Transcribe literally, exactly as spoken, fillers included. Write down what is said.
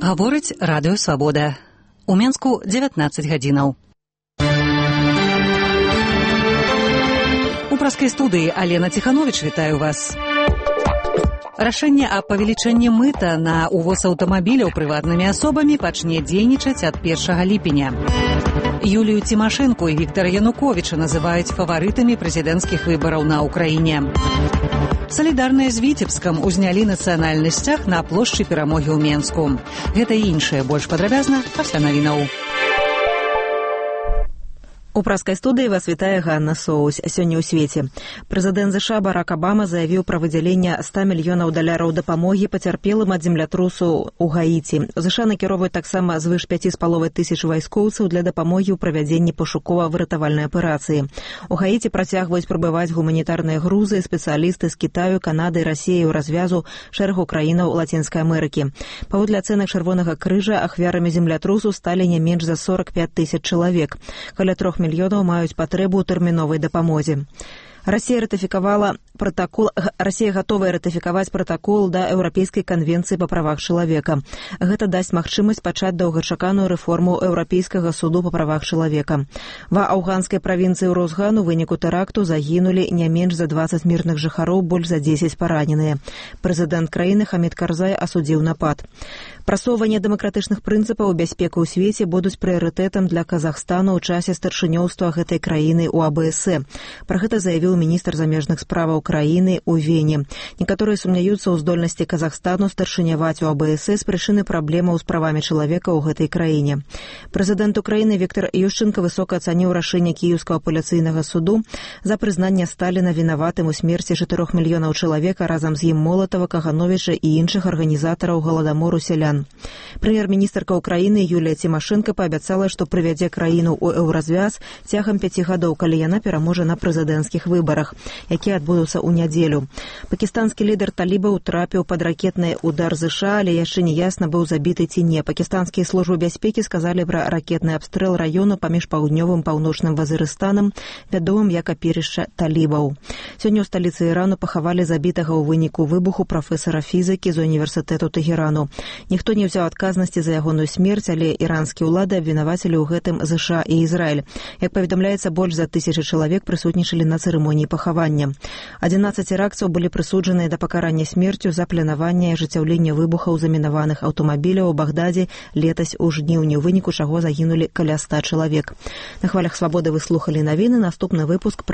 Гаворыць радыё Свабода. У Менску дзевятнаццаць гадзінаў. У праскай студыі Алена Ціханович вітаю вас. Рашэнне аб павелічэнні мыта на увоз аўтамабіляў прыватнымі асобамі пачне дзейнічаць ад першага ліпеня. Юлію Цімашэнку і Віктара Януковіча называюць фаварытамі прэзідэнцкіх выбараў на ўкраіне. Салідарныя з Віцебскам узнялі нацыянальны сцяг на плошчы Перамогі ў Менску. Гэта і іншае больш падрабязна пасля навінаў. У праскай студыі вас вітае Ганна Соусь. Сёння ў свеце. Прэзідэнт ЗША Барак Абама заявіў пра выдзяленне ста мільёнаў даляраў дапамогі пацярпелым ад землятрусу ў Гаіці. ЗША накіроўваюць таксама звыш пяць з паловай тысяч вайскоўцаў для дапамогі ў правядзенні пошукова-выратавальнай аперацыі. У Гаіці працягваюць прыбываць гуманітарныя грузы, спецыялісты з Кітаю, Канады, Расіі ў развязу шэрагу краінаў Лацінскай Амерыкі. Паводле ацэнак Чырвонага крыжа ахвярамі землятрусу сталі не менш за сорок пяць тысяч чалавек. Каля трох мільёнаў маюць патрэбу ў тэрміновай дапамозе. Расія ратыфікавала протакол, Расія гатовая ратыфікаваць пратакол да Еўрапейскай канвенцыі па правах чалавека. Гэта дасць магчымасць пачаць доўгачаканую рэформу Еўрапейскага суду па правах чалавека. Ва афганскай правінцыі Розган у выніку тэракту загінулі не менш за дваццаць мірных жыхароў, больш за дзесяць параненыя. Прэзідэнт краіны Хамід Карзай асудзіў напад. Прасоўванне дэмакратычных прынцыпаў і бяспекі ў свеце будуць прыярытэтам для Казахстану ў часе старшынёўства гэтай краіны ў АБС. Пра гэта заявіў міністр замежных справаў краіны ў Вене. Некаторыя сумняюцца ў здольнасці Казахстану старшыняваць у АБС з прычыны праблемаў з правамі чалавека ў гэтай краіне. Прэзідэнт Украіны Віктар Ющэнка высока ацаніў рашэнне Кіеўскага апеляцыйнага суду за прызнанне Сталіна вінаватым у смерці чатырох мільёнаў чалавека разам з ім Молатава, Кагановіча і іншых арганізатараў галадамору сялян. Прэм'ер-міністрка Украіны Юлія Цімашэнка паабяцала, што прывядзе краіну ў еўразвяз цягам пяці гадоў, калі яна пераможа на прэзідэнцкіх выбарах, якія адбудуцца ў нядзелю. Пакістанскі лідар талібаў трапіў пад ракетны удар ЗША, але яшчэ не ясна, быў забіты ці не. Пакістанскія службы бяспекі сказалі пра ракетны абстрэл раёну паміж паўднёвым паўночным Вазырыстанам, вядомым як апірышча талібаў. Сёння ў сталіцы Ірану пахавалі забітага ў выніку выбуху прафесара фізікі з універсітэту Тэхерану. Ніхто не ўзяў адказнасці за ягоную смерць, але іранскія ўлады абвінавацілі ў гэтым ЗША і Ізраіль. Як паведамляецца, больш за тысячы чалавек прысутнічалі на цырымоніі пахавання. адзінаццаць іракцаў былі прысуджаныя да пакарання смерцю за планаванне і ажыццяўленне выбухаў замінаваных аўтамабіляў у Багдадзе летась у жніўні, у выніку чаго загінулі каля ста чалавек. На хвалях Свабоды вы слухалі навіны. Наступны выпуск